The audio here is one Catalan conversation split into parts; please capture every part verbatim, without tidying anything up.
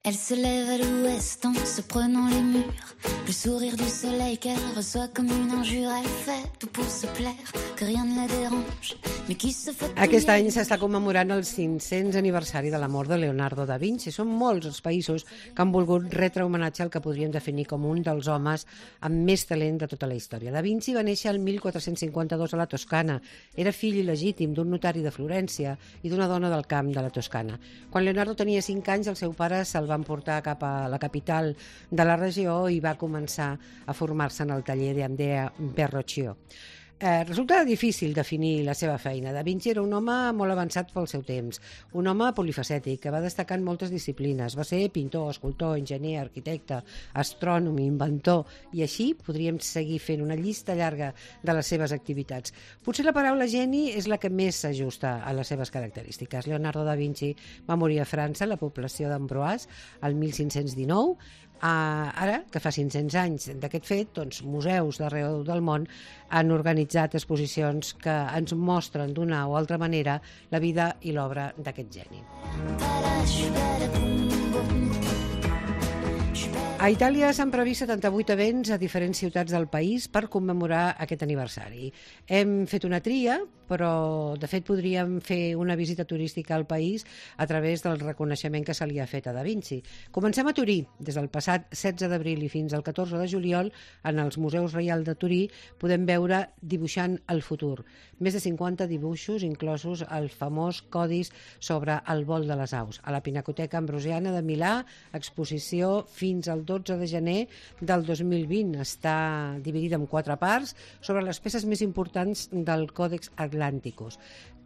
Elle se lève à l'ouest en se prenant les murs. Le sourire du soleil qu'elle reçoit comme une injure. Elle fait tout pour se plaire, que rien ne la dérange. Mais qui se fait... Aquest any s'està commemorant el cinc-cents aniversari de la mort de Leonardo da Vinci. Són molts els països que han volgut retre homenatge al que podríem definir com un dels homes amb més talent de tota la història. Da Vinci va néixer el mil quatre-cents cinquanta-dos a la Toscana. Era fill il·legítim d'un notari de Florència i d'una dona del camp de la Toscana. Quan Leonardo tenia cinc anys, el seu pare se'l van portar cap a la capital de la regió i va començar a formar-se en el taller d'Andrea Verrocchio. Eh, resulta difícil definir la seva feina. Da Vinci era un home molt avançat pel seu temps, un home polifacètic que va destacar en moltes disciplines. Va ser pintor, escultor, enginyer, arquitecte, astrònom, inventor, i així podríem seguir fent una llista llarga de les seves activitats. Potser la paraula geni és la que més s'ajusta a les seves característiques. Leonardo da Vinci va morir a França, a la població d'Amboise, el mil cinc-cents dinou. Uh, ara, que fa cinc-cents anys d'aquest fet, doncs, museus d'arreu del món han organitzat exposicions que ens mostren d'una o altra manera la vida i l'obra d'aquest geni. A Itàlia s'han previst setanta-vuit events a diferents ciutats del país per commemorar aquest aniversari. Hem fet una tria, però de fet podríem fer una visita turística al país a través del reconeixement que se li ha fet a Da Vinci. Comencem a Turí. Des del passat setze d'abril i fins al catorze de juliol, en els Museus Reial de Turí, podem veure Dibuixant el futur. Més de cinquanta dibuixos, inclosos el famós codis sobre el vol de les aus. A la Pinacoteca Ambrosiana de Milà, exposició fins al dotze de gener del dos mil vint. Està dividida en quatre parts sobre les peces més importants del Còdex Atlanticus.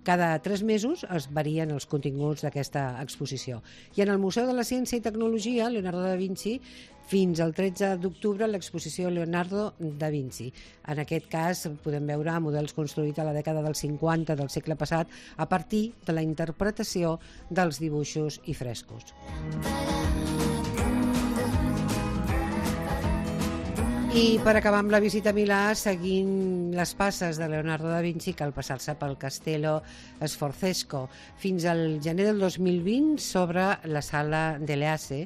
Cada tres mesos es varien els continguts d'aquesta exposició. I en el Museu de la Ciència i Tecnologia, Leonardo da Vinci, fins al tretze d'octubre, l'exposició Leonardo da Vinci. En aquest cas podem veure models construïts a la dècada dels cinquanta del segle passat a partir de la interpretació dels dibuixos i frescos. I per acabar amb la visita a Milà, seguint les passes de Leonardo da Vinci, cal passar-se pel Castello Sforzesco. Fins al gener del dos mil vint s'obre la Sala dell'Asse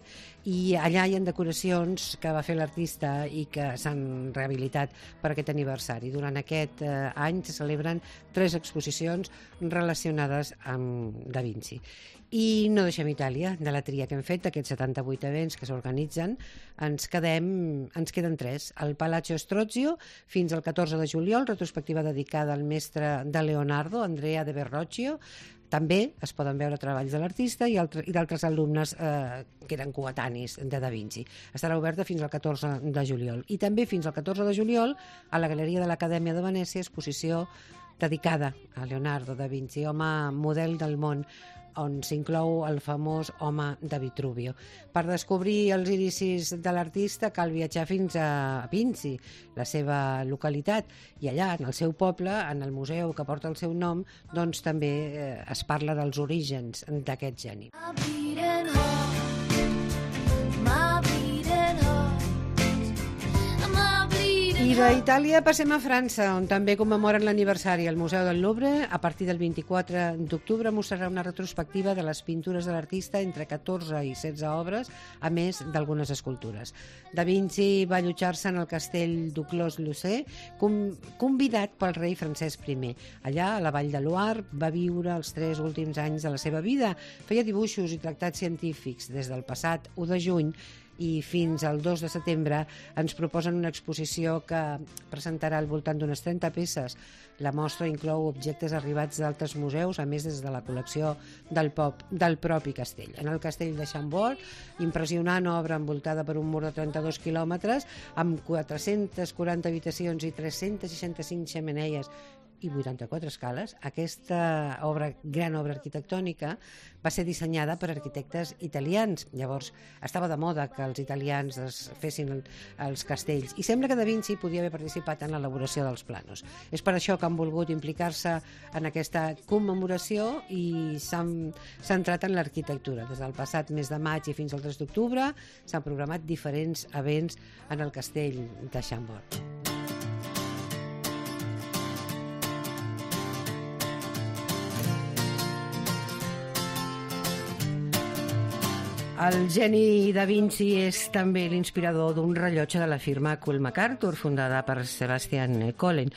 i allà hi ha decoracions que va fer l'artista i que s'han rehabilitat per aquest aniversari. Durant aquest eh, any se celebren tres exposicions relacionades amb Da Vinci. I no deixem Itàlia. De la tria que hem fet, d'aquests setanta-vuit events que s'organitzen, ens quedem, ens queden tres. El Palazzo Strozio, fins al catorze de juliol, retrospectiva dedicada al mestre de Leonardo, Andrea de Verrocchio. També es poden veure treballs de l'artista i, altre, i d'altres alumnes eh, que eren coetanis de Da Vinci. Estarà oberta fins al catorze de juliol. I també fins al catorze de juliol, a la Galeria de l'Acadèmia de Venècia, exposició dedicada a Leonardo da Vinci, home model del món, on s'inclou el famós home de Vitruvio. Per descobrir els inicis de l'artista cal viatjar fins a Vinci, la seva localitat, i allà, en el seu poble, en el museu que porta el seu nom, doncs també eh, es parla dels orígens d'aquest geni. I d'Itàlia passem a França, on també commemoren l'aniversari. El Museu del Louvre, a partir del vint-i-quatre d'octubre, mostrarà una retrospectiva de les pintures de l'artista, entre catorze i setze obres, a més d'algunes escultures. Da Vinci va allotjar-se en el castell d'Uclos-Lucé, convidat pel rei Francesc I. Allà, a la Vall de Loire, va viure els tres últims anys de la seva vida. Feia dibuixos i tractats científics. Des del passat u de juny i fins al dos de setembre ens proposen una exposició que presentarà al voltant d'unes trenta peces. La mostra inclou objectes arribats d'altres museus, a més des de la col·lecció del, pop, del propi castell. En el castell de Chambord, impressionant obra envoltada per un mur de trenta-dos quilòmetres, amb quatre-centes quaranta habitacions i tres-cents seixanta-cinc xemeneies i vuitanta-quatre escales. Aquesta obra, gran obra arquitectònica va ser dissenyada per arquitectes italians. Llavors estava de moda que els italians es fessin el, els castells, i sembla que Da Vinci podia haver participat en l'elaboració dels planos. És per això que han volgut implicar-se en aquesta commemoració i s'han centrat en l'arquitectura. Des del passat mes de maig i fins al tres d'octubre s'han programat diferents events en el castell de Chambord. El geni Da Vinci és també l'inspirador d'un rellotge de la firma Cool MacArthur, fundada per Sebastian Collen.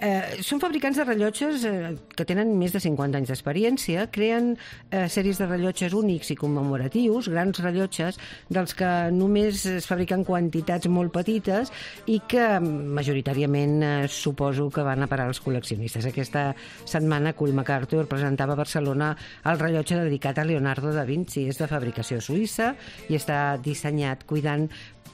Eh, són fabricants de rellotges eh, que tenen més de cinquanta anys d'experiència, creen eh, sèries de rellotges únics i commemoratius, grans rellotges dels que només es fabriquen quantitats molt petites i que majoritàriament eh, suposo que van a parar als col·leccionistes. Aquesta setmana Cool MacArthur presentava a Barcelona el rellotge dedicat a Leonardo da Vinci. És de fabricació suïssa i està dissenyat cuidant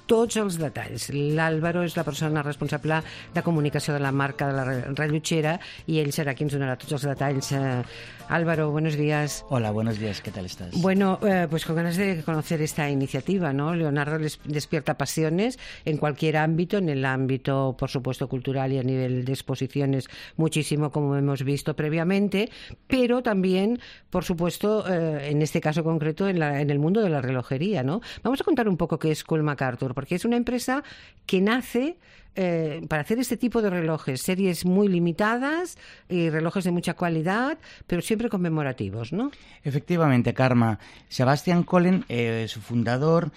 tots els detalls. L'Álvaro és la persona responsable de comunicació de la marca de la rellotgera y él será quien donará todos los detalles. Eh, Álvaro, buenos días. Hola, buenos días, ¿qué tal estás? Bueno, eh, pues con ganas de conocer esta iniciativa, ¿no? Leonardo les despierta pasiones en cualquier ámbito, en el ámbito, por supuesto, cultural y a nivel de exposiciones muchísimo, como hemos visto previamente, pero también, por supuesto, eh, en este caso concreto, en, la, en el mundo de la relojería, ¿no? Vamos a contar un poco qué es Cool MacArthur, porque es una empresa que nace Eh, para hacer este tipo de relojes, series muy limitadas y relojes de mucha calidad, pero siempre conmemorativos, ¿no? Efectivamente, Karma. Sebastian Collen, eh, su fundador,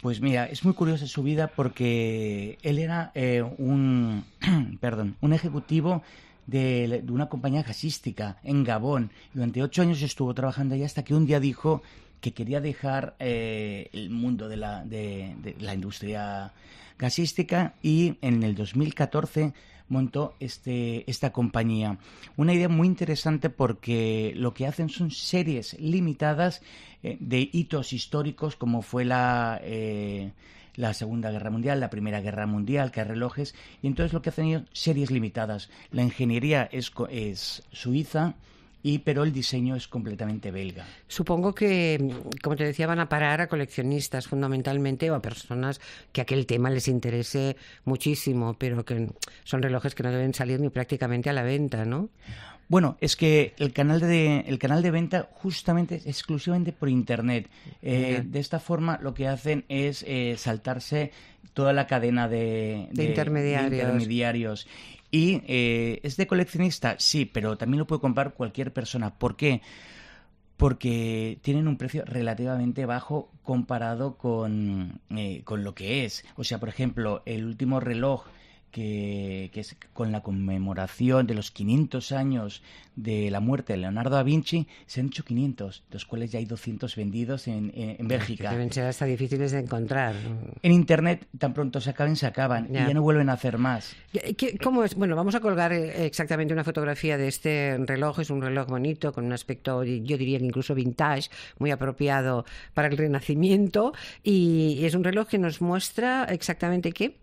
pues mira, es muy curiosa su vida porque él era eh, un, perdón, un ejecutivo de, de una compañía gasística en Gabón. Durante ocho años estuvo trabajando allá hasta que un día dijo que quería dejar eh, el mundo de la, de, de la industria gasística y en el dos mil catorce montó este, esta compañía. Una idea muy interesante porque lo que hacen son series limitadas eh, de hitos históricos como fue la, eh, la Segunda Guerra Mundial, la Primera Guerra Mundial, que hay relojes, y entonces lo que hacen ellos, series limitadas. La ingeniería es, es suiza, Y, pero el diseño es completamente belga. Supongo que, como te decía, van a parar a coleccionistas fundamentalmente o a personas que aquel tema les interese muchísimo, pero que son relojes que no deben salir ni prácticamente a la venta, ¿no? Bueno, es que el canal de, el canal de venta justamente es exclusivamente por Internet. Eh, de esta forma lo que hacen es eh, saltarse toda la cadena de, de, de, intermediarios. de intermediarios. Y eh, ¿es de coleccionista? Sí, pero también lo puede comprar cualquier persona. ¿Por qué? Porque tienen un precio relativamente bajo comparado con, eh, con lo que es. O sea, por ejemplo, el último reloj que, que es con la conmemoración de los quinientos años de la muerte de Leonardo da Vinci, se han hecho quinientos, de los cuales ya hay doscientos vendidos en, en, en Bélgica. Deben ser hasta difíciles de encontrar. En Internet, tan pronto se acaben, se acaban, ya. y ya no vuelven a hacer más. ¿Qué, ¿Cómo es? Bueno, vamos a colgar exactamente una fotografía de este reloj. Es un reloj bonito, con un aspecto, yo diría que incluso vintage, muy apropiado para el Renacimiento, y es un reloj que nos muestra exactamente qué.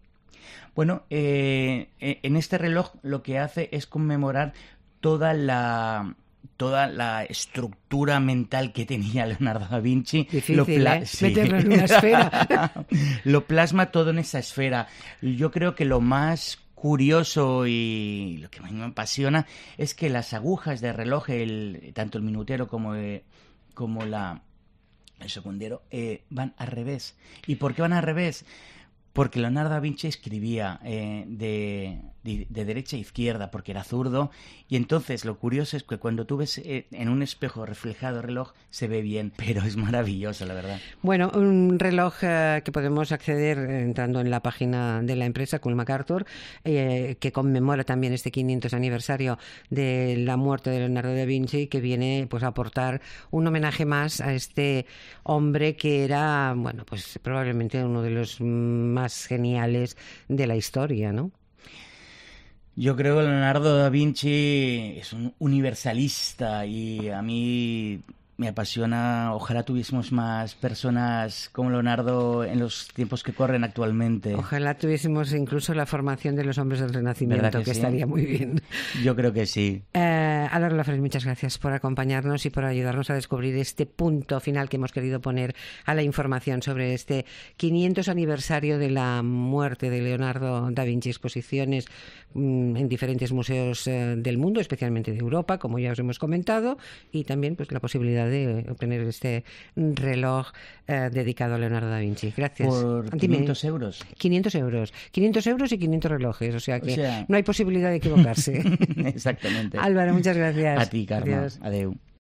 Bueno, eh, en este reloj lo que hace es conmemorar toda la toda la estructura mental que tenía Leonardo da Vinci. Difícil, lo pla- ¿eh? Sí. Meterlo en una esfera. Lo plasma todo en esa esfera. Yo creo que lo más curioso y lo que más me apasiona es que las agujas de reloj, el, tanto el minutero como, eh, como la, el segundero, eh, van al revés. ¿Y por qué van al revés? Porque Leonardo da Vinci escribía eh, de, de, de derecha a izquierda, porque era zurdo, y entonces lo curioso es que cuando tú ves eh, en un espejo reflejado el reloj, se ve bien, pero es maravilloso, la verdad. Bueno, un reloj eh, que podemos acceder entrando en la página de la empresa Cool MacArthur, eh, que conmemora también este quinientos aniversario de la muerte de Leonardo da Vinci, que viene pues a aportar un homenaje más a este hombre que era, bueno, pues probablemente uno de los más geniales de la historia, ¿no? Yo creo que Leonardo da Vinci es un universalista y a mí me apasiona. Ojalá tuviésemos más personas como Leonardo en los tiempos que corren actualmente. Ojalá tuviésemos incluso la formación de los hombres del Renacimiento, que, que sí? estaría muy bien. Yo creo que sí. Eh, Álvaro Lafrés, muchas gracias por acompañarnos y por ayudarnos a descubrir este punto final que hemos querido poner a la información sobre este quinientos aniversario de la muerte de Leonardo da Vinci. Exposiciones mmm, en diferentes museos eh, del mundo, especialmente de Europa, como ya os hemos comentado, y también pues la posibilidad de obtener este reloj eh, dedicado a Leonardo da Vinci. Gracias. Por quinientos euros. quinientos euros. quinientos euros y quinientos relojes, o sea que o sea... no hay posibilidad de equivocarse. Exactamente. Álvaro, muchas gracias. A ti, Carme. Adeu.